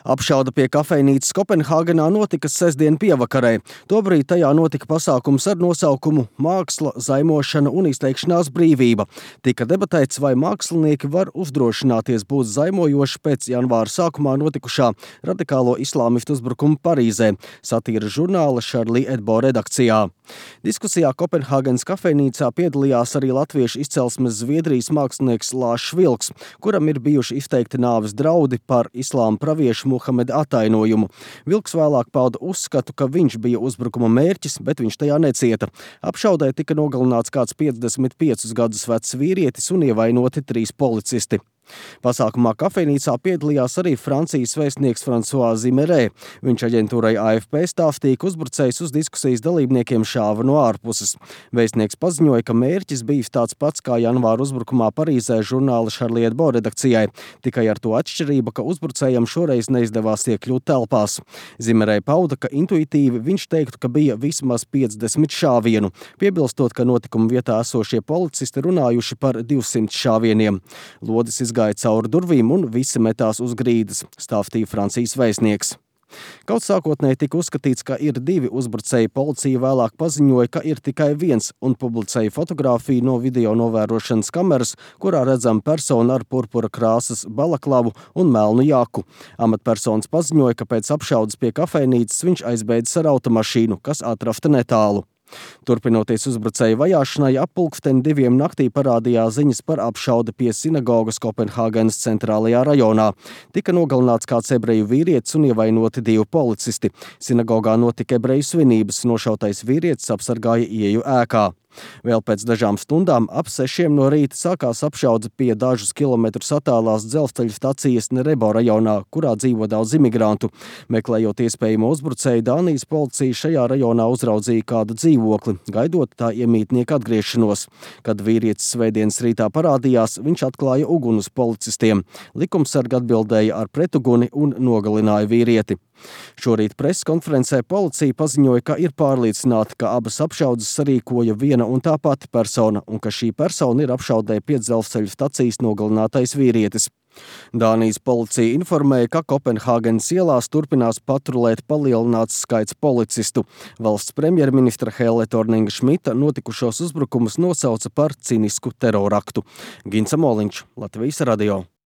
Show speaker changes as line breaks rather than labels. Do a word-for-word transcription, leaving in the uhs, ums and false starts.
Apšaude pie kafejnīcas Kopenhāgenā notika sestdien pievakarē. Tobrīd tajā notika pasākums ar nosaukumu Māksla, zaimošana un izteikšanās brīvība. Tika debatēts, vai mākslinieki var uzdrošināties būt zaimojoši pēc janvāra sākumā notikušā radikālo islāmistu uzbrukuma Parīzē, satīra žurnāla Charlie Hebdo redakcijā. Diskusijā Kopenhāgenas kafejnīcā piedalījās arī latviešu izcelsmes Zviedrijas mākslinieks Lāšs Vilks, kuram ir bijuši izteikti nāves draudi par islāma praviešu Muhameda atainojumu. Vilks vēlāk pauda uzskatu, ka viņš bija uzbrukuma mērķis, bet viņš tajā necieta. Apšaudē tika nogalināts kāds piecdesmit piecus gadus vecs vīrietis un ievainoti trīs policisti. Pasākumā kafejnīcā piedalījās arī Francijas vēstnieks François Zimerē. Viņš aģentūrai A F P stāstīja, ka uzbrucējs uz diskusijas dalībniekiem šāva no ārpuses. Vēstnieks paziņoja, ka mērķis bija tāds pats kā janvāra uzbrukumā Parīzē žurnāla Charlie Hebdo redakcijai, tikai ar to atšķirību, ka uzbrucējam šoreiz neizdevās iekļūt telpās. Zimerē pauda, ka intuitīvi viņš teiktu, ka bija vismaz piecdesmit šāvienu, piebilstot, ka notikuma vietā esošie policisti runājuši par divsimt šāvieniem. Lodis izgāja cauri durvīm un visi metās uz grīdas, stāstīja Francijas vēstnieks. Kaut sākotnēji tika uzskatīts, ka ir divi uzbrucēji, policija vēlāk paziņoja, ka ir tikai viens un publicēja fotogrāfiju no video novērošanas kameras, kurā redzama persona ar purpura krāsas balaklavu un melnu jaku. Amatpersonas paziņoja, ka pēc apšaudes pie kafejnīcas viņš aizbēdzis ar automašīnu, kas atrasta netālu. Turpinoties uzbrucēju vajāšanai, ap pulksteni diviem naktī parādījās ziņas par apšaudi pie sinagogas Kopenhāgenas centrālajā rajonā. Tika nogalināts kāds ebreju vīrietis un ievainoti divi policisti. Sinagogā notika ebreju svinības, nošautais vīrietis apsargāja ieeju ēkā. Vēl pēc dažām stundām ap sešiem no rīta sākās apšaude pie dažus kilometrus attālās dzelzceļa stacijas Nerebo rajonā, kurā dzīvo daudz imigrantu. Meklējot iespējamo uzbrucēju, Dānijas policija šajā rajonā uzraudzīja kādu dzīvokli, gaidot tā iemītnieku atgriešanos. Kad vīrietis svētdienas rītā parādījās, viņš atklāja uguni uz policistiem. Likumsargi atbildēja ar pretuguni un nogalināja vīrieti. Šorīt preses konferencē policija paziņoja, ka ir pārliecināta, ka abas apšaudes sarīkoja viena un tā pati persona, un ka šī persona ir apšaudē pie dzelzceļa stacijas nogalinātais vīrietis. Dānijas policija informēja, ka Kopenhāgenas ielās turpinās patrulēt palielināts skaits policistu. Valsts premjerministra Helle Thorninga-Šmita notikušos uzbrukumus nosauca par cinisku teroraktu. Gints Amoliņš, Latvijas radio.